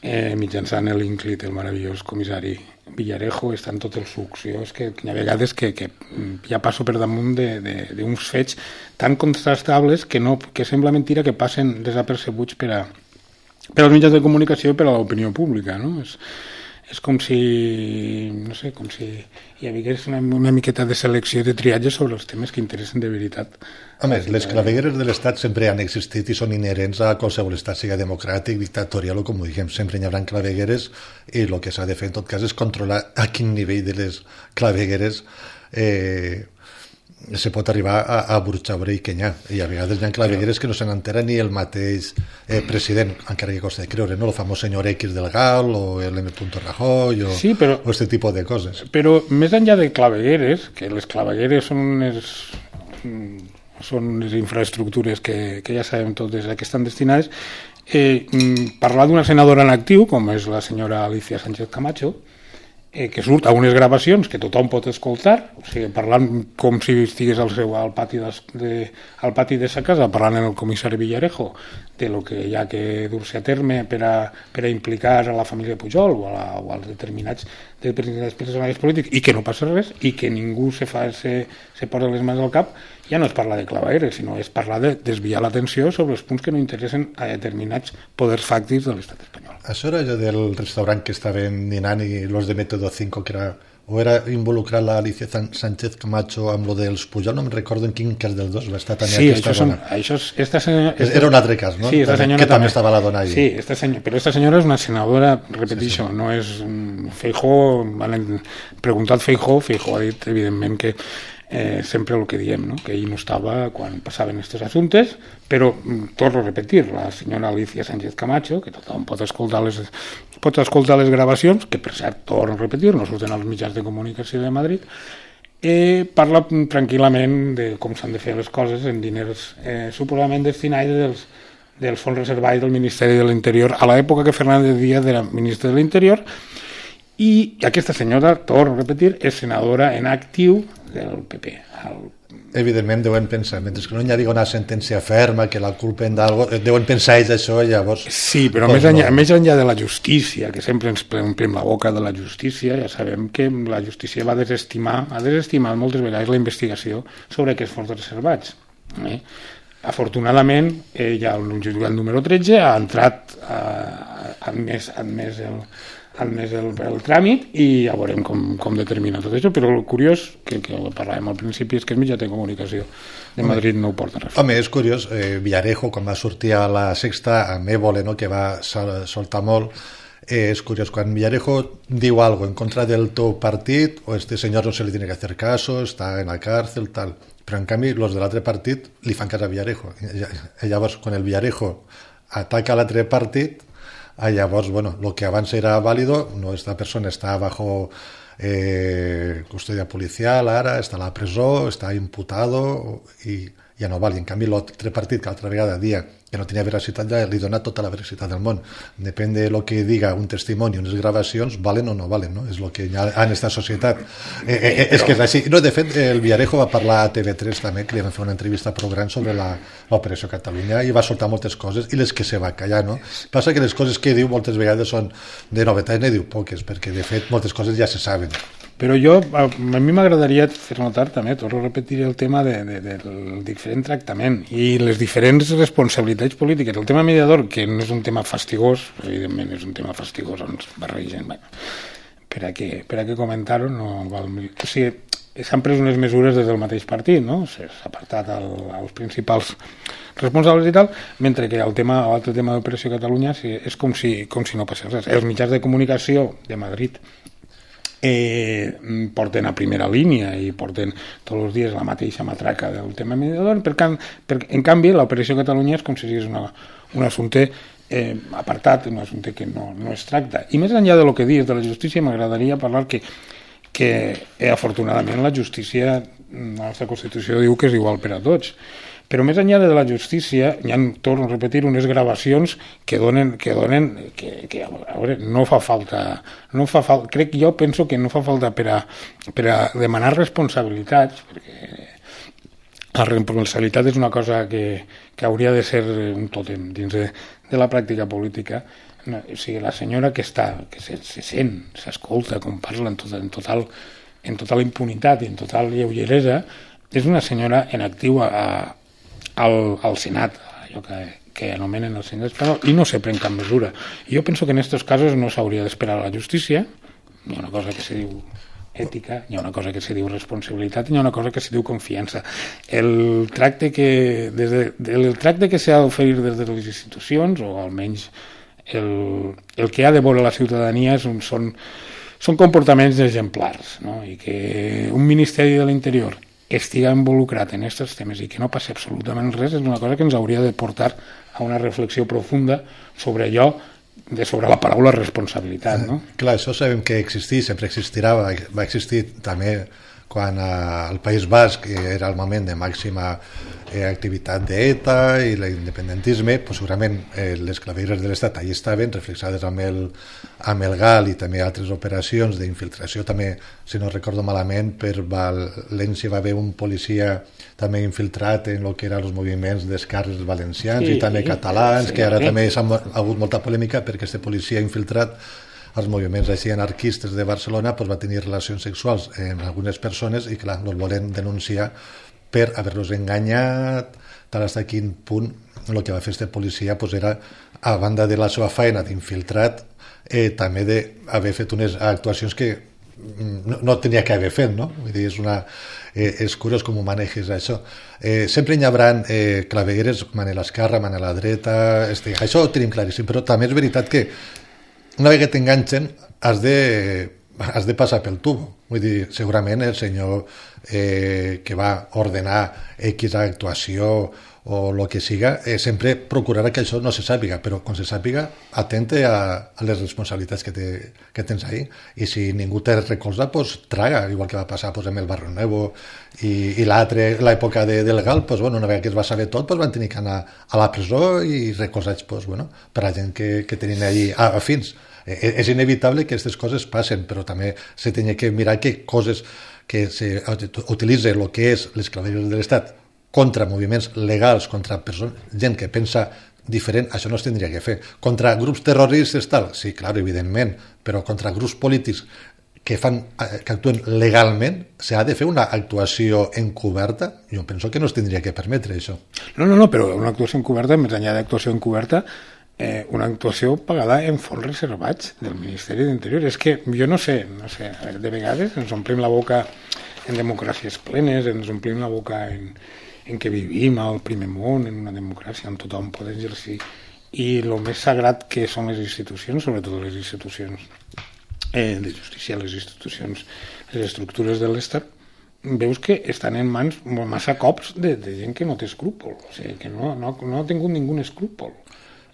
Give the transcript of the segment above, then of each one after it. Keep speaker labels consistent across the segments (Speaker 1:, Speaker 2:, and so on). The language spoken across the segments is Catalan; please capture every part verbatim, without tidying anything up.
Speaker 1: eh, mitjançant l'Inclit, el meravellós comissari Villarejo, estan tots els sucs. Jo és que hi ha vegades que, que ja passo per damunt d'uns fets tan contrastables que, no, que sembla mentira que passen desapercebuts per, a, per als mitjans de comunicació i per a l'opinió pública, no? És, és com si, no sé, com si hi hagués una, una miqueta de selecció de triatge sobre els temes que interessen de veritat.
Speaker 2: A més, les clavegueres de l'Estat sempre han existit i són inherents a qualsevol estat, sigui democràtic, dictatorial o com ho diguem, sempre hi haurà clavegueres i el que s'ha de fer en tot cas és controlar a quin nivell de les clavegueres eh, se pot arribar a, a burxaure i que n'hi ha. I a vegades hi ha clavegueres que no se n'entera ni el mateix eh, president, encara que costa de creure, no? El famós senyor X del Gal o el M. Rajoy o,
Speaker 1: sí, però,
Speaker 2: o este tipus de coses.
Speaker 1: Però més enllà de clavegueres, que les clavegueres són unes, són unes infraestructures que, que ja sabem totes a què estan destinades, eh, parlar d'una senadora en actiu, com és la senyora Alicia Sánchez Camacho, eh, que surt a unes gravacions que tothom pot escoltar, o sigui, parlant com si estigués al, seu, al, pati de, de, al pati de sa casa, parlant amb el comissari Villarejo de lo que hi ha que dur-se a terme per a, per a implicar a la família Pujol o, a la, o als determinats, determinats personatges polítics, i que no passa res, i que ningú se, fa, se, se posa les mans al cap. Ja no és parlar de clavegueres, sinó és parlar de desviar l'atenció sobre els punts que no interessen a determinats poders fàctics de l'estat espanyol.
Speaker 2: Això era allò del restaurant que estaven dinant i los de Método cinco, que era, o era involucrar la Alicia Sánchez Camacho amb lo dels Pujol, no me'n recordo en quin cas dels dos va estar també
Speaker 1: sí,
Speaker 2: aquesta
Speaker 1: això
Speaker 2: dona.
Speaker 1: Són, això és, esta senyora, esta,
Speaker 2: era un altre cas, no?
Speaker 1: Sí,
Speaker 2: també,
Speaker 1: senyora,
Speaker 2: que també estava la dona allí.
Speaker 1: Sí, esta senyora, però aquesta senyora és una senadora, repeteixo, sí, sí. No és Feijóo, han preguntat Feijóo, Feijóo ha dit, evidentment, que Eh, sempre el que diem, no? Que ell no estava quan passaven aquests assumptes, però torno a repetir, la senyora Alicia Sánchez Camacho, que tothom pot escoltar les, pot escoltar les gravacions, que per cert, torno a repetir, no surten als mitjans de comunicació de Madrid, eh, parla tranquil·lament de com s'han de fer les coses en diners eh, suposadament destinats dels, dels fons reservats del Ministeri de l'Interior a l'època que Fernández Díaz era ministre de l'Interior. I aquesta senyora, torno a repetir, és senadora en actiu del P P. El...
Speaker 2: Evidentment deuen pensar, mentre que no hi hagi una sentència ferma que la culpen d'algo, deuen pensar ells això i llavors...
Speaker 1: Sí, però més enllà, no. més enllà de la justícia, que sempre ens omplim la boca de la justícia, ja sabem que la justícia va desestimar, ha desestimat moltes vegades la investigació sobre aquests fons reservats. Eh? Afortunadament, eh, ja el jutjat número tretze ha entrat, ha admès, admès el... admès el, el tràmit i ja veurem com, com determina tot això, però el curiós, que, que parlàvem al principi, és que els mitjans de comunicació de Madrid no ho porten res.
Speaker 2: Home, és curiós, eh, Villarejo, quan va sortir a la Sexta, amb Évole, no?, que va sol, soltar molt, eh, és curiós, quan Villarejo diu algo en contra del teu partit, o este senyor no se li tiene que hacer caso, està en la cárcel, tal, però en canvi, los de l'altre partit li fan cas a Villarejo. I llavors, quan el Villarejo ataca l'altre partit, Ah, llavors, bueno, lo que abans era válido, no, esta persona està bajo eh, custodia policial ara, està a la presó, està imputado i ja no val. I en canvi l'altre partit que l'altra vegada dia que no tenia veracitat ja li dona tota la veracitat del món. Depèn de lo que diga un testimoni, unes gravacions, valen o no valen, no? És el que hi ha en esta societat. Eh, eh, és que és així. No, de fet, el Villarejo va parlar a T V tres també, que li van fer una entrevista prou gran sobre l'Operació Catalunya i va soltar moltes coses i les que se va callar, no? Passa que les coses que diu moltes vegades són de novetat, ne diu poques, perquè de fet moltes coses ja se saben.
Speaker 1: Però jo, a, a mi m'agradaria fer notar també, torno a repetir el tema de, de, del diferent tractament i les diferents responsabilitats polítiques. El tema mediador, que no és un tema fastigós, evidentment és un tema fastigós, ens barregen, bueno, per a què, per a què comentar-ho, no val... O sigui, s'han pres unes mesures des del mateix partit, no? S'ha apartat el, els principals responsables i tal, mentre que el tema, l'altre tema d'Operació Catalunya sí, és com si, com si no passés res. Els mitjans de comunicació de Madrid Eh, porten a primera línia i porten tots els dies la mateixa matraca del tema mediador, per can, per, en canvi l'Operació Catalunya és com si és una, un assumpte eh, apartat, un assumpte que no, no es tracta. I més enllà de lo que dius de la justícia, m'agradaria parlar que, que eh, afortunadament la justícia, la nostra Constitució diu que és igual per a tots. Però més enllà de la justícia, hi ha, torno a repetir, unes gravacions que donen, que donen, que, que a veure, no fa falta, no fa falta, crec que jo penso que no fa falta per a, per a demanar responsabilitats, perquè la responsabilitat és una cosa que, que hauria de ser un tòtem dins de, de la pràctica política. no, o sigui, la senyora que està, que se, se sent, s'escolta com parla en, tot, en, total, en total impunitat i en total lleugeresa, és una senyora en actiu a, a, al, al Senat, allò que, que anomenen el Senat espanyol, i no se pren cap mesura. I jo penso que en aquests casos no s'hauria d'esperar a la justícia, hi ha una cosa que se diu ètica, hi ha una cosa que se diu responsabilitat i hi ha una cosa que se diu confiança. El tracte que, des de, el tracte que s'ha d'oferir des de les institucions, o almenys el, el que ha de veure la ciutadania són, són, són comportaments exemplars, no? I que un Ministeri de l'Interior estiga involucrat en aquests temes i que no passi absolutament res és una cosa que ens hauria de portar a una reflexió profunda sobre allò, de sobre la paraula responsabilitat, no?
Speaker 2: Eh, clar, això sabem que existeix, sempre existirà, va, va existir també quan eh, al País Basc era el moment de màxima eh, activitat d'ETA i l'independentisme, pues segurament eh, les clavegueres de l'Estat allà estaven reflexades amb el, amb el GAL i també altres operacions d'infiltració, també, si no recordo malament, per València va haver un policia també infiltrat en el que eren els moviments d'esquerres valencians sí, i també catalans, sí, que ara sí. També s'ha hagut molta polèmica perquè aquest policia infiltrat als moviments així anarquistes de Barcelona pues, va tenir relacions sexuals amb algunes persones i clar, els volen denunciar per haver-los enganyat, tal fins a quin punt el que va fer este policia pues, era, a banda de la seva feina d'infiltrat, eh, també d'haver fet unes actuacions que no, no tenia que haver fet, no? Vull dir, és una... Eh, és curiós com ho maneges això. Eh, sempre hi haurà eh, clavegueres man a l'esquerra, man a la dreta, este, això ho tenim claríssim, però també és veritat que una vegada t'enganxen has de, has de passar pel tubo. Vull dir, segurament el senyor eh, que va ordenar X actuació o el que siga, eh, sempre procurarà que això no se sàpiga, però quan se sàpiga, atente a, a les responsabilitats que, te, que tens ahí, i si ningú te recolza, pues traga, igual que va passar pues, amb el Barrio Nuevo i, i l'altre, l'època de, del GAL, pues, bueno, una vegada que es va saber tot, pues, van tenir que anar a la presó i recolzats pues, bueno, per a gent que, que tenien allí afins. Eh, és inevitable que aquestes coses passen, però també se tenia que mirar que coses que se utilitza el que és les clavegueres de l'Estat contra moviments legals, contra persones, gent que pensa diferent, això no es tindria que fer. Contra grups terroristes, tal, sí, clar, evidentment, però contra grups polítics que, fan, que actuen legalment, s'ha de fer una actuació encoberta? Jo penso que no es tindria que permetre, això.
Speaker 1: No, no, no, però una actuació encoberta, més enllà d'actuació encoberta, eh, una actuació pagada en fons reservats del Ministeri d'Interior. És que jo no sé, no sé, de vegades ens omplim la boca en democràcies plenes, ens omplim la boca en... en què vivim al primer món, en una democràcia on tothom pot exercir, i el més sagrat que són les institucions, sobretot les institucions eh, de justícia, les institucions, les estructures de l'Estat, veus que estan en mans massa cops de, de gent que no té escrúpol, o sigui, que no, no, no ha tingut ningú escrúpol.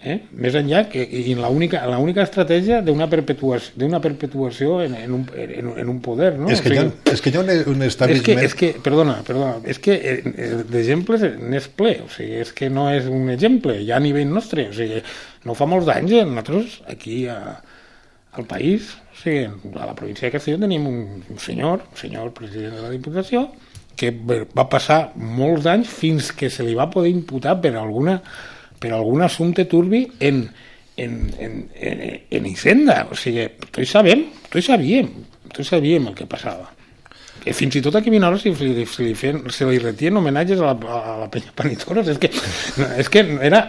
Speaker 1: Eh? Més enllà que i l'única l'única estratègia d'una perpetuació d'una perpetuació en, en, un, en, en un poder, no?
Speaker 2: És que, o sigui, hi, ha, és que hi ha un establishment...
Speaker 1: És que, és que, perdona, perdona, és que d'exemples n'és ple, o sigui, és que no és un exemple, ja a nivell nostre, o sigui, no fa molts anys, nosaltres aquí a, al país, o sigui, a la província de Castelló tenim un, un senyor, un senyor president de la Diputació, que va passar molts anys fins que se li va poder imputar per alguna per algun assumpte turbi en, en, en, en, en Hisenda. O sigui, tots sabem, tots sabíem, tots sabíem el que passava. I fins i tot aquí a Vinaròs se li, se li, feien, se li retien homenatges a la, a la penya Panitoros. És que, és que era...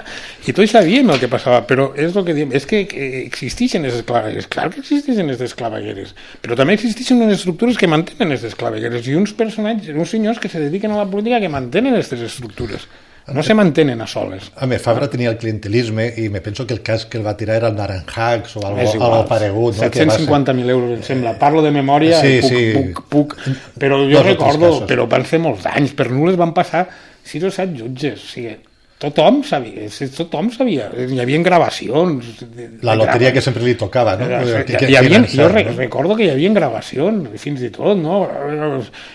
Speaker 1: I tots sabíem el que passava, però és el que diem, és que existeixen les clavegueres. Clar que existeixen les clavegueres, però també existeixen unes estructures que mantenen les clavegueres i uns personatges, uns senyors que se dediquen a la política que mantenen aquestes estructures. No se mantenen a soles.
Speaker 2: A mi, Fabra tenia el clientelisme i me penso que el cas que el va tirar era el Naranjacs o algo, algo paregut. No?
Speaker 1: set-cents cinquanta mil euros, em sembla. Parlo de memòria, sí, puc, sí. puc, puc, però jo Dos recordo, però van ser molts anys, per nules van passar sis o set jutges, o sigui, tothom sabia, tothom sabia, hi havia gravacions. De, de
Speaker 2: la loteria que sempre li tocava, no?
Speaker 1: Que, que, hi havia, jo re, no? recordo que hi havia gravacions, fins i tot, no?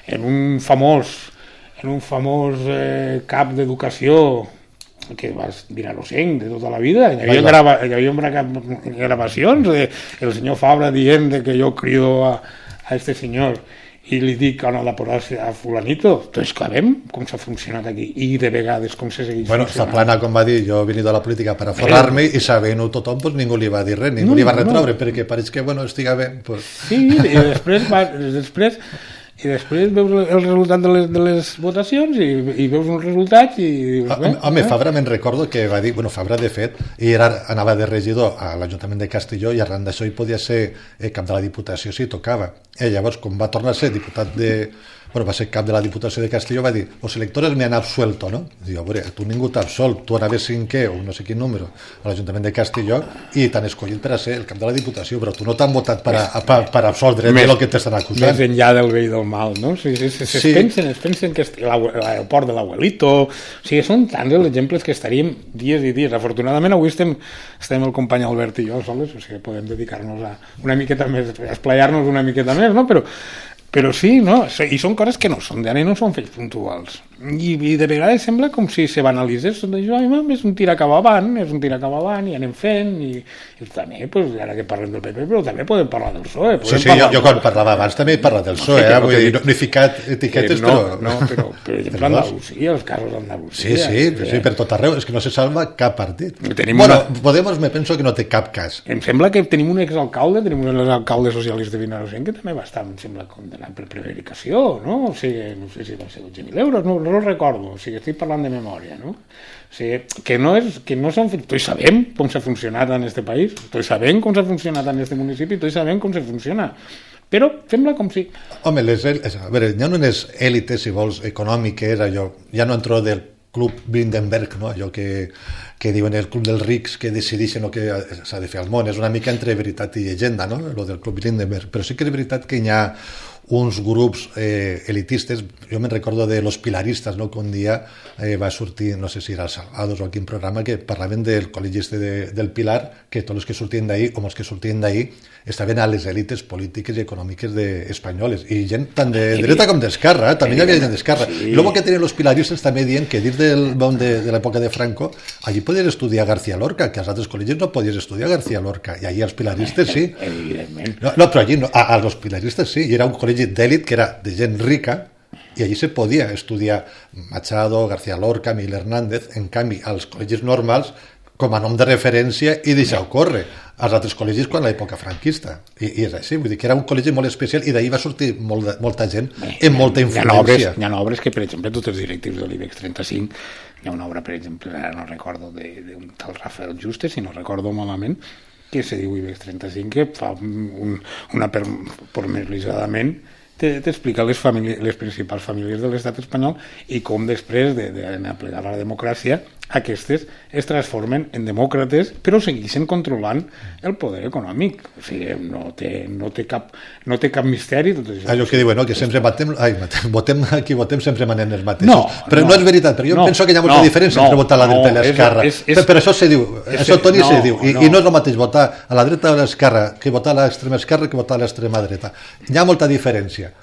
Speaker 1: En un famós en un famós eh, cap d'educació que vas vinarossenc de tota la vida, hi havia, grava, hi havia gravacions del senyor Fabra dient de que jo crido a, a este senyor i li dic on ha de posar a fulanito, doncs sabem com s'ha funcionat aquí i de vegades com se segueix
Speaker 2: bueno, funcionant. Bueno, Zaplana, com va dir, jo he venido a la política per a forrar-me i sabent-ho tothom, pues, ningú li va dir res, ningú no, li va retroure, no. perquè pareix que, bueno, estiga bé. Pues...
Speaker 1: Sí, i després, va, després i després veus el resultat de les, de les votacions i, i veus uns resultats i dius... Bé,
Speaker 2: home, eh? Fabra me'n recordo que va dir... Bueno, Fabra, de fet, ell era, anava de regidor a l'Ajuntament de Castelló i arran d'això hi podia ser eh, cap de la Diputació si tocava. I llavors, com va tornar a ser diputat de... Bueno, va ser cap de la Diputació de Castelló, va dir, los electores me han absuelto, ¿no? Diu, a veure, tu ningú t'ha absolt, tu anaves cinquè o no sé quin número a l'Ajuntament de Castelló i t'han escollit per a ser el cap de la Diputació, però tu no t'han votat per, a, per, per absoldre més, de lo que t'estan acusant.
Speaker 1: Més enllà del bé i del mal, no? O sigui, es, es, sí. es, pensen, es pensen que l'aeroport de l'abuelito... O sigui, són tants els exemples que estaríem dies i dies. Afortunadament, avui estem, estem el company Albert i jo sols, o sigui, podem dedicar-nos a una miqueta més, a esplayar-nos una miqueta més, no? Però Però sí, no? I són coses que no són d'ara i no són fets puntuals. I, I de vegades sembla com si se banalitzés tot això, és un tir cap avant, és un tir cap avant i anem fent, i, i també, pues, ara que parlem del P P, però també podem parlar del P S O E.
Speaker 2: Sí, sí, jo, jo quan parlava abans també he parlat del P S O E, eh? Vull dir, no, no he ficat etiquetes,
Speaker 1: no,
Speaker 2: però...
Speaker 1: No, però, per exemple, Andalusia, els casos d'Andalusia...
Speaker 2: Sí, sí, eh? sí, per tot arreu, és que no se salva cap partit.
Speaker 1: Tenim
Speaker 2: bueno,
Speaker 1: una...
Speaker 2: Podemos me penso que no té cap cas.
Speaker 1: Em sembla que tenim un exalcalde, tenim un exalcalde socialista de Vinaròs, que també va estar, em sembla, condenat per prevaricació, no? O sigui, no sé si va ser dotze mil euros, no, no ho recordo, o sigui, estic parlant de memòria, no? O sigui, que no, és, que no són... Tots sabem com s'ha funcionat en este país, tots sabem com s'ha funcionat en este municipi, tots sabem com se funciona, però sembla com si...
Speaker 2: Home, les, a veure, hi ha unes èlites, si vols, econòmiques, allò, ja no entro del Club Bilderberg, no? Allò que, que diuen el Club dels Rics, que decideixen el que s'ha de fer al món, és una mica entre veritat i llegenda, no? Lo del Club Bilderberg, però sí que és veritat que hi ha uns grups eh, elitistes, jo me'n recordo de los pilaristes, no? Que un dia eh, va sortir, no sé si era el Salvados o a quin programa, que parlaven del col·legi este de, del Pilar, que tots els que sortien d'ahir, o els que sortien d'ahir, estaven a les èlites polítiques i econòmiques de, espanyoles, i gent tant de dreta com d'esquerra, eh? També hi havia gent d'esquerra. Sí. I el que tenien els pilaristes també dient que dins del món de, de l'època de Franco, allí podies estudiar García Lorca, que als altres col·legis no podies estudiar García Lorca, i allí els pilaristes sí.
Speaker 1: Evidentment.
Speaker 2: No, no però allí no, a, a els pilaristes sí, i era un col·legi d'èlit que era de gent rica, i allí se podia estudiar Machado, García Lorca, Miguel Hernández. En canvi, als col·legis normals, com a nom de referència, i deixar-ho córrer als altres col·legis quan l'època franquista. I, i és així, vull dir que era un col·legi molt especial i d'ahir va sortir molt de, molta gent Bé, amb molta influència. Hi ha, obres,
Speaker 1: hi ha obres que, per exemple, tots els directius de l'IBEX trenta-cinc, hi ha una obra, per exemple, ara no recordo, d'un tal Rafael Juste, si no recordo malament, que se diu IBEX trenta-cinc, que fa un, una pormenoritzadament t'explica les, les principals famílies de l'estat espanyol i com després d'anar a plegar la democràcia aquestes es transformen en demòcrates però segueixen controlant el poder econòmic. O sigui, no té, no té, cap, no té cap misteri tot això.
Speaker 2: Allò que diuen, no? Que sempre matem, ai, matem, votem, aquí votem sempre manem els mateixos. No, però no, no és veritat, però jo no, penso que hi ha molta no, diferència no, entre votar a la dreta no, i l'esquerra. Per, per això se diu, és, això Toni no, se diu, i no. i no és el mateix votar a la dreta o a l'esquerra que votar a l'extrema esquerra que votar a l'extrema dreta. Hi ha molta diferència.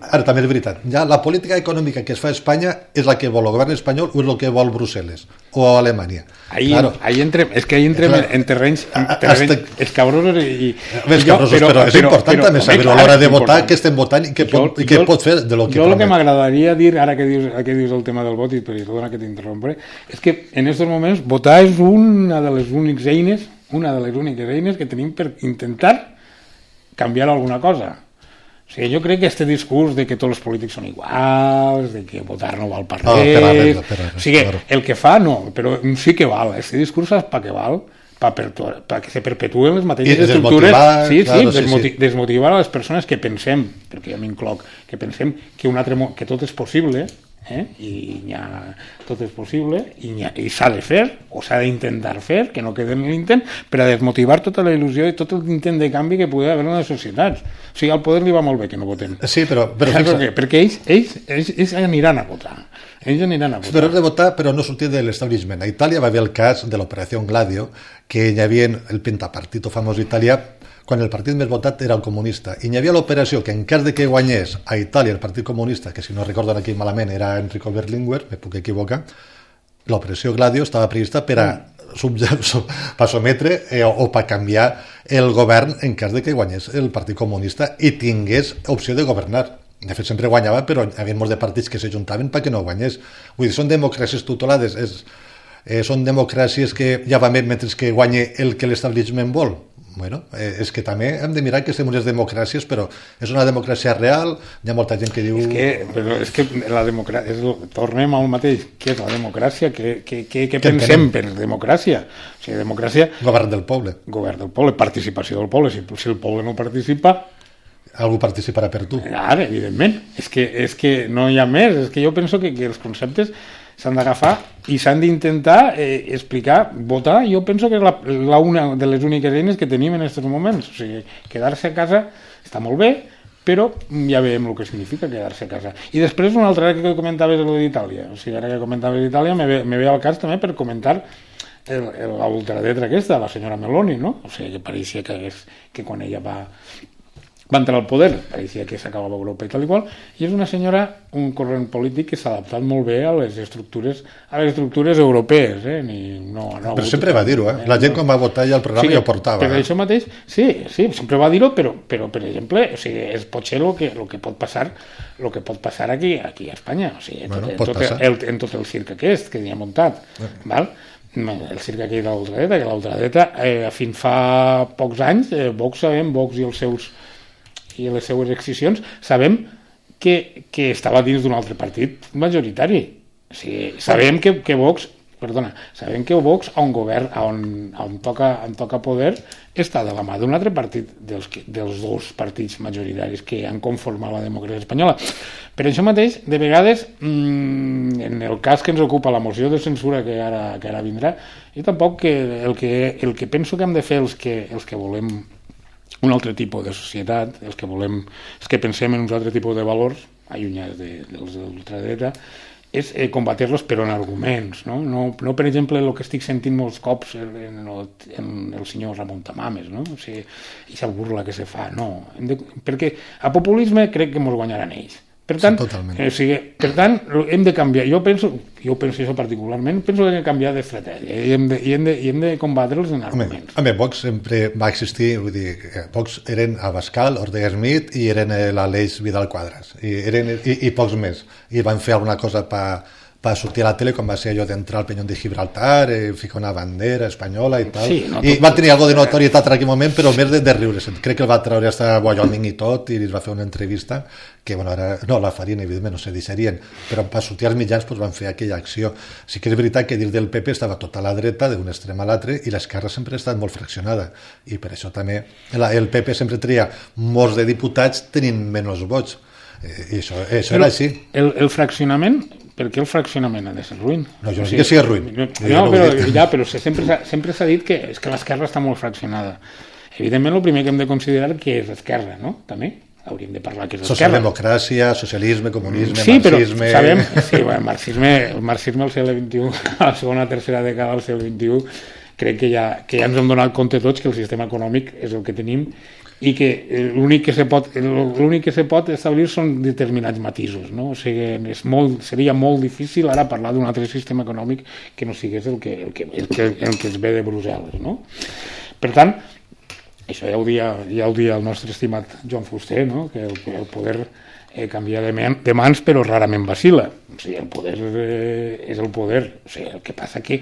Speaker 2: Ara també és veritat, ja la política econòmica que es fa a Espanya és la que vol el govern espanyol o és el que vol Brussel·les o Alemanya.
Speaker 1: Ahí, claro. ahí entrem, és que ahí entrem claro. en terrenys, en terrenys Hasta... escabrosos i...
Speaker 2: Més cabrosos, però, però és però, important però, també saber a l'hora de votar què estem votant i què pot, jo, i què jo, pot fer de lo que
Speaker 1: jo el que m'agradaria dir, ara que dius, que dius el tema del vot i perdona que t'interrompre, és que en aquests moments votar és una de les úniques eines una de les úniques eines que tenim per intentar canviar alguna cosa. O sigui, jo crec que aquest discurs de que tots els polítics són iguals, de que votar no val per res... Oh, per res, per res, o sigui, claro. El que fa no, però sí que val. Aquest discurs saps per què val? Perquè se perpetuen les mateixes estructures... Sí, claro, sí, desmoti sí. desmotivar a les persones que pensem, perquè jo m'incloc, que pensem que, un altre, que tot és possible... Eh? i ha, tot és possible i, i s'ha de fer o s'ha d'intentar fer, que no quede en l'intent per a desmotivar tota la il·lusió i tot l'intent de canvi que pugui haver en les societats. O sigui, al poder li va molt bé que no votem.
Speaker 2: Sí, però... però
Speaker 1: per què? Perquè ells, ells, ells, ells aniran a votar. Ells aniran a votar.
Speaker 2: Però és de votar, però no sortir de l'establishment. A Itàlia va haver el cas de l'operació Gladio, que hi havia el pentapartito famós d'Itàlia, quan el partit més votat era el comunista. I hi havia l'operació que en cas de que guanyés a Itàlia el partit comunista, que si no recordo aquí malament era Enrico Berlinguer, me puc equivocar, l'operació Gladio estava prevista per a per sometre eh, o per canviar el govern en cas de que guanyés el partit comunista i tingués opció de governar. De fet, sempre guanyava, però hi havia molts de partits que s'ajuntaven perquè no guanyés. Vull dir, són democràcies tutelades, és, eh, són democràcies que ja va més mentre que guanyi el que l'establishment vol. Bueno, eh, és que també hem de mirar que estem unes democràcies, però és una democràcia real, hi ha molta gent que diu...
Speaker 1: És que, però és que la democràcia... És, tornem al mateix. Què és la democràcia? Què, què, què, què pensem per democràcia? O sigui, democràcia...
Speaker 2: Govern del poble.
Speaker 1: Govern del poble, participació del poble. Si, si el poble no participa...
Speaker 2: Algú participarà per tu.
Speaker 1: Ara, evidentment. És que, és que no hi ha més. És que jo penso que, que els conceptes s'han d'agafar i s'han d'intentar eh, explicar, votar. Jo penso que és la, la una de les úniques eines que tenim en aquests moments. O sigui, quedar-se a casa està molt bé, però ja veiem el que significa quedar-se a casa. I després una altra, ara que comentaves d'Itàlia, o sigui, ara que comentaves d'Itàlia, me ve, me ve al cas també per comentar l'ultradreta aquesta, la senyora Meloni, no? O sigui, que pareixia que, és, que quan ella va... va entrar al poder, pareixia que s'acabava Europa i tal i qual, i és una senyora, un corrent polític que s'ha adaptat molt bé a les estructures a les estructures europees, eh? Ni, no, no
Speaker 2: però sempre va dir-ho, eh? La gent quan va votar ja el programa sí, ja ho portava.
Speaker 1: Per eh? això mateix, sí, sí, sempre va dir-ho, però, però per exemple, o sigui, és potser el que, el que pot passar el que pot passar aquí, aquí a Espanya, o sigui,
Speaker 2: bueno,
Speaker 1: tot, tot el, en tot el circ aquest que hi ha muntat, eh. val? El circ aquí de l'ultradreta, que l'ultradreta, eh, fins fa pocs anys, eh, Vox sabem, Vox i els seus i les seues excisions, sabem que, que estava dins d'un altre partit majoritari. O sigui, sabem que, que Vox, perdona, sabem que Vox, on govern, on, on, toca, on toca poder, està de la mà d'un altre partit dels, dels dos partits majoritaris que han conformat la democràcia espanyola. Per això mateix, de vegades, mmm, en el cas que ens ocupa la moció de censura que ara, que ara vindrà, jo tampoc que el, que el que penso que hem de fer els que, els que volem un altre tipus de societat, els que volem, els que pensem en uns altres tipus de valors, allunyats de, dels de l'ultradreta, és eh, combatir-los però en arguments, no? No, no per exemple el que estic sentint molts cops en el, en el senyor Ramon Tamames, no? O sigui, aquesta burla que se fa, no. Hem de, perquè a populisme crec que ens guanyaran ells. Per tant, sí, eh, o sigui, per tant, hem de canviar. Jo penso, jo penso això particularment, penso que hem de canviar d'estratègia i hem de, i hem de, i hem de combatre'ls en arguments.
Speaker 2: Home, Vox sempre va existir, vull dir, Vox eren Abascal, Ortega Smith i eren l'Aleix Vidal Quadras, i, eren, i, i pocs més. I van fer alguna cosa per va sortir a la tele quan va ser allò d'entrar al Peñón de Gibraltar, eh, ficar una bandera espanyola i tal, sí, no, i van tenir algo de notorietat en aquell moment, però més de, de riures. Crec que el va treure hasta Wyoming i tot, i es va fer una entrevista que, bueno, ara, no, la farien, evidentment, no se deixarien, però per sortir als mitjans pues, van fer aquella acció. Sí que és veritat que dins del P P estava tota la dreta, d'un extrem a l'altre, i l'esquerra sempre ha estat molt fraccionada, i per això també la, el P P sempre tria molts de diputats tenint menys vots, eh, i això, això era així.
Speaker 1: El, el fraccionament, per què el fraccionament ha de ser ruïn?
Speaker 2: No, jo no sé que sigui ruïn.
Speaker 1: No, no, no però, ja, però sempre, sempre s'ha dit que, és que l'esquerra està molt fraccionada. Evidentment, el primer que hem de considerar que és l'esquerra, no? També hauríem de parlar que és l'esquerra.
Speaker 2: Socialdemocràcia, socialisme, comunisme,
Speaker 1: sí,
Speaker 2: marxisme...
Speaker 1: Però sabem, sí, bueno, marxisme, el marxisme al segle vint-i-u, a la segona tercera dècada del segle vint-i-u, crec que ja, que ja ens hem donat compte tots que el sistema econòmic és el que tenim i que l'únic que se pot l'únic que se pot establir són determinats matisos, no? O sigui, és molt, seria molt difícil ara parlar d'un altre sistema econòmic que no sigués el que, el que, el que, el que es ve de Brussel·les, no? Per tant, això ja ho dia, ja ho dia el nostre estimat Joan Fuster, no? Que el, el poder eh, canvia de, man, de mans però rarament vacila. O sigui, el poder eh, és el poder. O sigui, el que passa que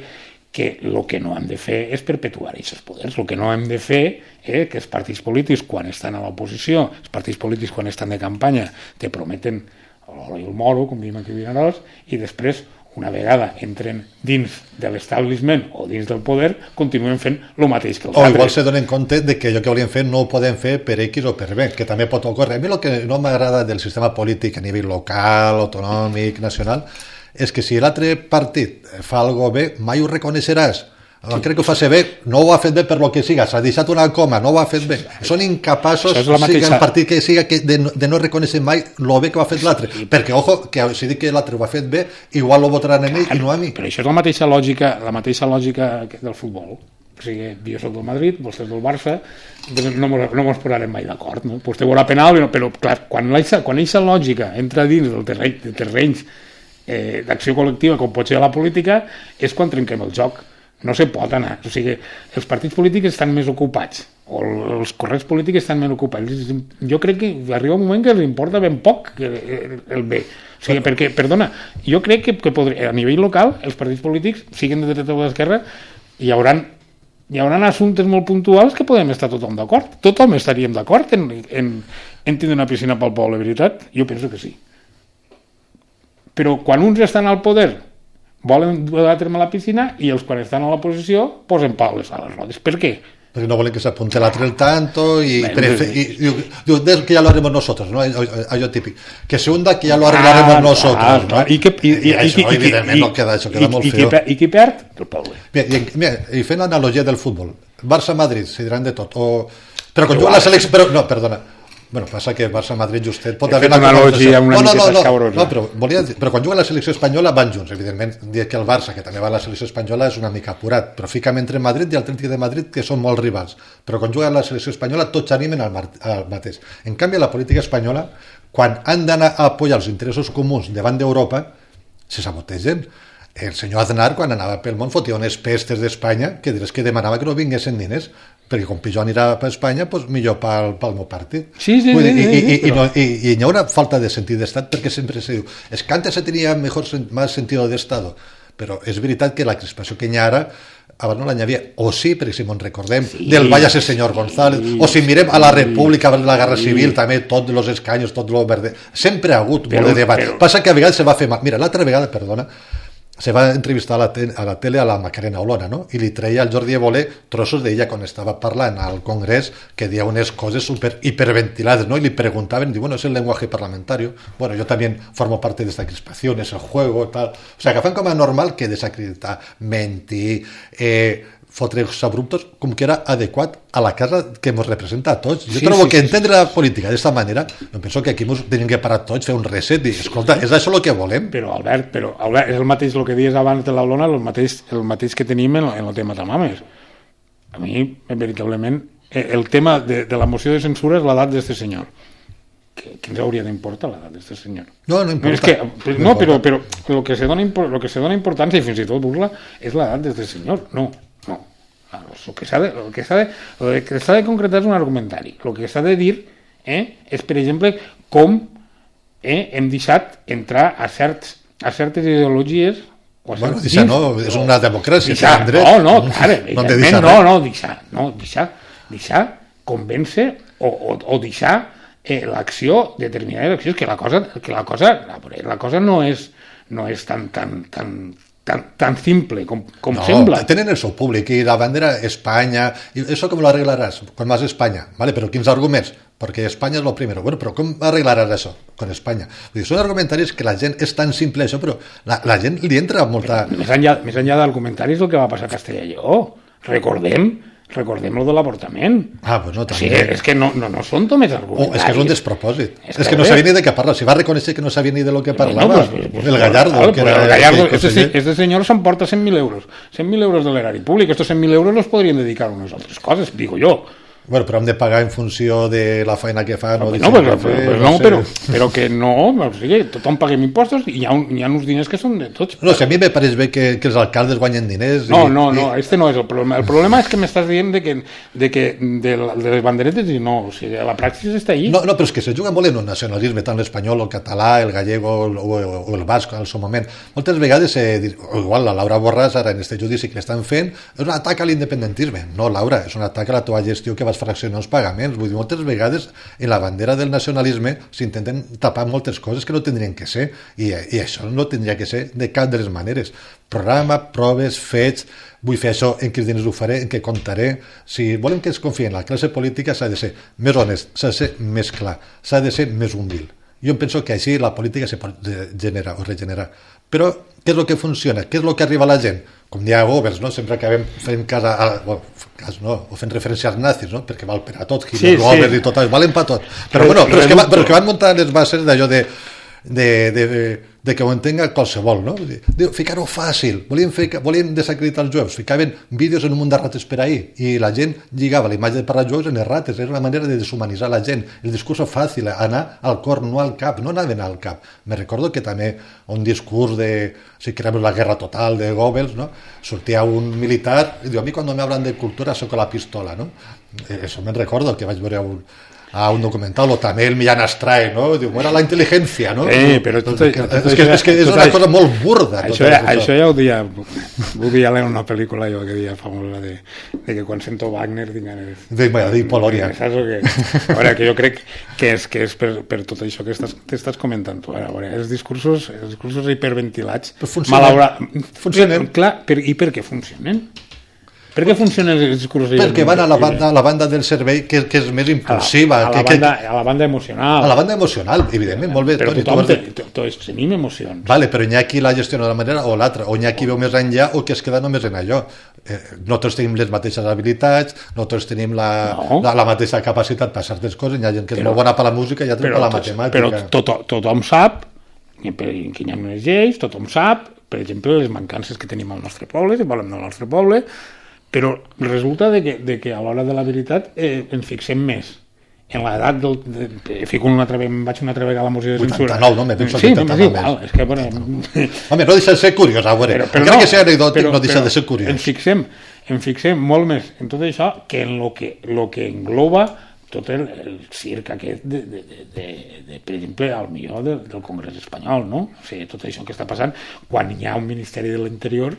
Speaker 1: que el que no hem de fer és perpetuar aquests poders. El que no hem de fer és que els partits polítics, quan estan a l'oposició, els partits polítics, quan estan de campanya, te prometen l'oro i el moro, com diem aquí a Vinaròs, i després, una vegada entren dins de l'establishment o dins del poder, continuen fent el mateix que els
Speaker 2: o
Speaker 1: altres.
Speaker 2: O igual se donen compte de que allò que volien fer no ho poden fer per X o per B, que també pot ocórrer. A mi el que no m'agrada del sistema polític a nivell local, autonòmic, nacional, és que si l'altre partit fa alguna cosa bé, mai ho reconeixeràs. Sí. Crec que ho fa ser bé, no ho ha fet bé per lo que siga, s'ha deixat una coma, no ho ha fet bé. Són incapaços, mateixa... sigui el partit que siga, que de, de no reconèixer mai lo bé que ho ha fet l'altre. Sí. Perquè, ojo, que si dic que l'altre ho ha fet bé, igual lo votaran en ell i no a mi.
Speaker 1: Però això és la mateixa lògica, la mateixa lògica del futbol. O sigui, jo soc del Madrid, vostè és del Barça, no mos, no mos posarem mai d'acord, no? Vostè veurà penal, però clar, quan aquesta lògica entra dins del terreny, de terrenys eh, d'acció col·lectiva com pot ser la política, és quan trenquem el joc. no se pot anar. O sigui, els partits polítics estan més ocupats, o els corrents polítics estan més ocupats. Jo crec que arriba un moment que els importa ben poc el bé. O sigui, perquè, perdona, jo crec que, que podria, a nivell local els partits polítics, siguin de dreta o d'esquerra, hi haurà hi haurà assumptes molt puntuals que podem estar tothom d'acord. Tothom estaríem d'acord en, en, en tindre una piscina pel poble, veritat? Jo penso que sí. Però quan uns estan al poder volen dur a terme la piscina i els quan estan a l'oposició posen pales a les rodes. Per què?
Speaker 2: Porque no volen que se apunte la el tanto y, prefe- y, y, y que ya lo haremos nosotros, ¿no? Hay típico. Que se hunda que ya lo arreglaremos ah, nosotros, ah, ¿no?
Speaker 1: I que, i, i,
Speaker 2: I això, i, evidentment, i, no queda això, queda i, molt feo.
Speaker 1: I qui perd? El poble.
Speaker 2: Mira, i, mira, i fent l'analogia del futbol, Barça-Madrid, se diran de tot. O... Però quan juga la selecció... Però, no, perdona. Bueno, passa que Barça-Madrid justet pot haver
Speaker 1: una analogia una
Speaker 2: no, no,
Speaker 1: miqueta
Speaker 2: no,
Speaker 1: escabrosa.
Speaker 2: No, però, volia dir, però quan juga la selecció espanyola van junts, evidentment, dir que el Barça, que també va a la selecció espanyola, és una mica apurat, però fica'm entre Madrid i Atlètic de Madrid, que són molts rivals. Però quan juga la selecció espanyola tots animen al, al mateix. En canvi, la política espanyola, quan han d'anar a apoyar els interessos comuns davant d'Europa, se sabotegen. El senyor Aznar, quan anava pel món, fotia unes pestes d'Espanya que diràs que demanava que no vinguessin diners, perquè com pitjor anirà per Espanya, doncs millor pel, pel meu partit.
Speaker 1: Sí, sí,
Speaker 2: Vull dir,
Speaker 1: sí,
Speaker 2: i,
Speaker 1: sí,
Speaker 2: i,
Speaker 1: però...
Speaker 2: i, no, i, i hi ha una falta de sentit d'estat perquè sempre se diu, es que antes se tenia mejor, más sentido de Estado, però és veritat que la crispació que hi ha ara abans no l'anyavia, o sí, perquè si me'n recordem sí, del Váyase senyor González, sí, o si mirem a la República, a la Guerra Civil sí. també, tots els escanyos, tot el verde, sempre ha hagut però, molt de debat, però... passa que a vegades se va fer mal, mira, l'altra vegada, perdona, se va entrevistar a la, te- a la tele a la Macarena Olona, no? I li treia al Jordi Évole trossos d'ella quan estava parlant al Congrés, que deia unes coses super hiperventilades, ¿no? Y le preguntaban, y bueno, es el lenguaje parlamentario. Bueno, yo también formo parte de esta crispación, es el juego, tal. O sea, que fan com a normal que desacreditar, mentir, eh, fotre els abruptos, com que era adequat a la casa que ens representa a tots. Jo sí, trobo sí, que sí, entendre sí, sí. la política d'aquesta manera, jo penso que aquí ens tenim que parar tots, fer un reset i, escolta, és això el que volem.
Speaker 1: Però, Albert, però, Albert, és el mateix el que dius abans de l'Olona, el mateix, el mateix que tenim en, en el tema Tamames. A mi, veritablement, el tema de, de la moció de censura és l'edat d'este senyor. Que, que ens hauria d'importar l'edat d'este senyor.
Speaker 2: No, no importa.
Speaker 1: No, és que, no, no però, però el que se dona, el que se dona importància, i fins i tot burla, és l'edat d'este senyor. No, no. El que s'ha de, el que s'ha de, el que s'ha de concretar és un argumentari. El que s'ha de dir eh, és, per exemple, com eh, hem deixat entrar a, certs, a certes ideologies. O a
Speaker 2: bueno, deixar no, és una democràcia.
Speaker 1: Deixar, no, no, clar, no, no, no, deixar, no, deixar, deixar convèncer o, o, o deixar eh, l'acció, determinades accions, que la cosa, que la cosa, la, la cosa no és, no és tan, tan, tan, tan, tan simple com, com
Speaker 2: no,
Speaker 1: sembla.
Speaker 2: Tenen el seu públic i la bandera Espanya, i això com lo arreglaràs quan vas a Espanya, ¿vale? Però quins arguments? Perquè Espanya és lo primero. Bueno, però com arreglaràs això con Espanya? Vull dir, són argumentaris que la gent és tan simple això, però la, la gent li entra molta...
Speaker 1: Més enllà, més enllà d'argumentaris el que va passar a Castella i Lleó. Recordem recordem lo de l'avortament.
Speaker 2: Ah, pues no, també.
Speaker 1: O sigui, és que no, no, no són només argumentaris.
Speaker 2: Oh, és que és un despropòsit. És, és que no sabia ni de què parla. Si va reconèixer que no sabia ni de lo que parlava. No, pues, pues, el Gallardo.
Speaker 1: Vale,
Speaker 2: que
Speaker 1: pues
Speaker 2: era,
Speaker 1: el Gallardo,
Speaker 2: que,
Speaker 1: este, este señor s'emporta cent mil euros. cent mil euros de l'erari públic. Estos cent mil euros los podrien dedicar a unes altres coses, digo yo.
Speaker 2: Bueno, però hem de pagar en funció de la feina que fa.
Speaker 1: No, no, però, però, però, no, però, però que no, o sigui, tothom paguem impostos i hi ha, un, hi ha uns diners que són de tots.
Speaker 2: No, si a mi me pareix bé que, que els alcaldes guanyen diners.
Speaker 1: No,
Speaker 2: i,
Speaker 1: no, no,
Speaker 2: i...
Speaker 1: este no és el problema. El problema és que m'estàs dient de que, de, que de, de les banderetes i no, o sigui, la praxis està ahí.
Speaker 2: No, no, però és que se juga molt en un nacionalisme, tant l'espanyol, el català, el gallego o, o, o el basc al seu moment. Moltes vegades, eh, igual la Laura Borràs, ara en este judici que l'estan fent, és un atac a l'independentisme. No, Laura, és un atac a la teva gestió que vas fraccionar els pagaments. Vull dir, moltes vegades en la bandera del nacionalisme s'intenten tapar moltes coses que no tindrien que ser i, i això no tindria que ser de cap de les maneres. Programa, proves, fets, vull fer això, en quins diners ho faré, en què comptaré. Si volem que es confiï en la classe política s'ha de ser més honest, s'ha de ser més clar, s'ha de ser més humil. Jo penso que així la política se pot generar o regenerar. Però què és el que funciona? Què és el que arriba a la gent? Com dia a Goebbels, no? Sempre acabem fent cas, a, bueno, cas no, o fent referència als nazis, no? Perquè val per a tot, Hitler, sí, Goebbels sí. I tot, valen per tot. Però, bueno, però, és que, però que van muntar les bases d'allò de, de, de de que ho entenga qualsevol, no? Diu, ficar-ho fàcil, volien, ficar, volien desacreditar els jueus, ficaven vídeos en un munt de rates per ahir, i la gent lligava la imatge de parlar jueus en les rates, era una manera de deshumanitzar la gent, el discurs fàcil, anar al cor, no al cap, no anaven al cap. Me recordo que també un discurs de, si queremos la guerra total de Goebbels, no? Sortia un militar i diu, a mi quan me hablan de cultura soc la pistola, no? Eso me recordo, que vaig veure un, a un documental, o també el Millán Astray, no? Diu, era la intel·ligència, no?
Speaker 1: Eh, però tot, tot, tot,
Speaker 2: és, que, és que és una cosa molt burda.
Speaker 1: Això, ja, això ja ho dia, volia leer una pel·lícula jo que dia famosa de, de que quan sento Wagner tinc ganes
Speaker 2: de, de, de Polònia.
Speaker 1: Saps o què? A veure, que jo crec que és, que és per, per tot això que estàs, t'estàs comentant tu. A veure, els discursos, els discursos hiperventilats,
Speaker 2: funcionen. Funcionen.
Speaker 1: Clar, per, i per què funcionen? Per què funcionen els discursos?
Speaker 2: Perquè van a la banda, a la banda del cervell que, que és més impulsiva.
Speaker 1: A la, a, la
Speaker 2: que,
Speaker 1: banda,
Speaker 2: que,
Speaker 1: a la banda emocional.
Speaker 2: A la banda emocional, evidentment, molt bé.
Speaker 1: Però
Speaker 2: Toni,
Speaker 1: tothom
Speaker 2: de...
Speaker 1: te, tots tenim emocions.
Speaker 2: Vale, però n'hi ha qui la gestiona d'una manera o l'altra, o n'hi ha qui veu més enllà o que es queda només en allò. Eh, no tots tenim les mateixes habilitats, no tots tenim la, no. la, la mateixa capacitat per certes coses, hi ha gent que és però, molt bona per la música i altra per la matemàtica.
Speaker 1: Però to, tothom sap que hi ha unes lleis, tothom sap, per exemple, les mancances que tenim al nostre poble, si volem al nostre poble, però resulta de que, de que a l'hora de la veritat eh, ens fixem més en l'edat del... De, de, fico una altra, em vaig una altra vegada a la moció de censura.
Speaker 2: vuitanta-nou, no? Me penso
Speaker 1: sí,
Speaker 2: vuitanta-nou
Speaker 1: no, és igual. És que, bueno,
Speaker 2: home, no deixa de ser curiós, a veure. Però, però no, que sigui anecdòtic, però, no deixa però, de ser curiós.
Speaker 1: Ens fixem, ens fixem molt més en tot això que en lo que, lo que engloba tot el, el circ aquest, de, de, de, de, de, per exemple, al millor de, del Congrés espanyol, no? O sigui, tot això que està passant quan hi ha un Ministeri de l'Interior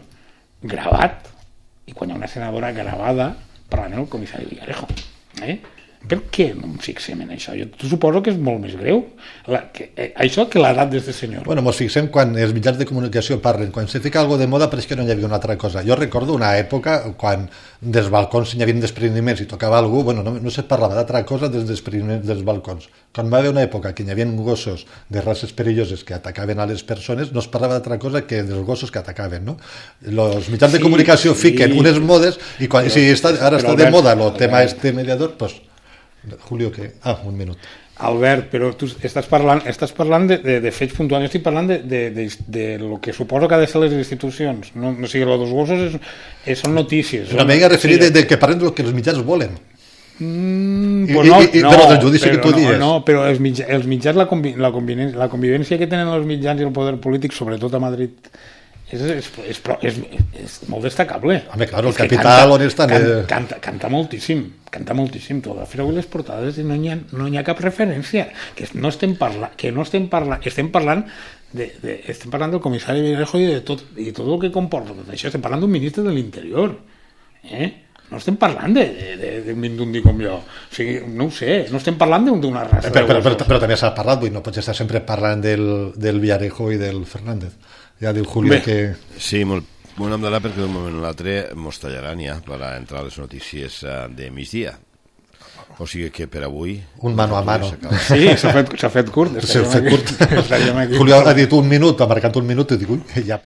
Speaker 1: gravat i quan hi ha una senadora gravada parlant el comissari Villarejo. Eh? Per què no ens fixem en això? Jo suposo que és molt més greu la, que, eh, això que l'edat d'aquest senyor.
Speaker 2: Bueno, ens fixem quan els mitjans de comunicació parlen, quan se fica alguna de moda però és que no hi havia una altra cosa. Jo recordo una època quan dels balcons hi havia despreniments i tocava algú, bueno, no, no se parlava d'altra cosa dels despreniments dels balcons. Quan va haver una època que hi havia gossos de races perilloses que atacaven a les persones, no es parlava d'altra cosa que dels gossos que atacaven, no? Els mitjans sí, de comunicació sí, fiquen unes modes i quan, però, si està, ara està Albert, de moda el tema Albert. Este mediador, pues Julio, que... Ah, un minut.
Speaker 1: Albert, però tu estàs parlant, estàs parlant de, de, de fets puntuals, jo estic parlant de, de, de, de lo que suposo que ha de ser les institucions. No, no sigui, els dos gossos és, és, són notícies.
Speaker 2: Una mica referit sí. de, de que parlen del que els mitjans volen.
Speaker 1: Mm,
Speaker 2: I,
Speaker 1: pues no,
Speaker 2: i, i,
Speaker 1: no,
Speaker 2: però del judici
Speaker 1: però,
Speaker 2: que tu
Speaker 1: no,
Speaker 2: dius.
Speaker 1: No, però els mitjans, els mitjans la, convi, la, convivència, la convivència que tenen els mitjans i el poder polític, sobretot a Madrid, és, és, és, és, és molt destacable.
Speaker 2: Home, clar, el capital on estan...
Speaker 1: Canta, canta, canta moltíssim, canta moltíssim. Tu vas fer avui les portades i no hi ha, no hi ha cap referència. Que no estem parlant, que no estem parlant, estem parlant de, de, estem parlant del comissari Villarejo i de tot, i tot el que comporta tot això. Estem parlant d'un ministre de l'Interior. Eh? No estem parlant d'un mindundi com jo. O sigui, no ho sé, no estem parlant d'una raça.
Speaker 2: Però, però, però, però també s'ha parlat, vull, no pots estar sempre parlant del, del Villarejo i del Fernández. Ja diu Julio que...
Speaker 3: Sí, molt, molt em darà perquè d'un moment a l'altre mos tallaran ja per entrar a les notícies de migdia. O sigui que per avui...
Speaker 2: Un mano a mano.
Speaker 1: Sí, s'ha fet, fet curt.
Speaker 2: S'ha fet curt. Julio ha dit un minut, ha marcat un minut i dic, ui, ja...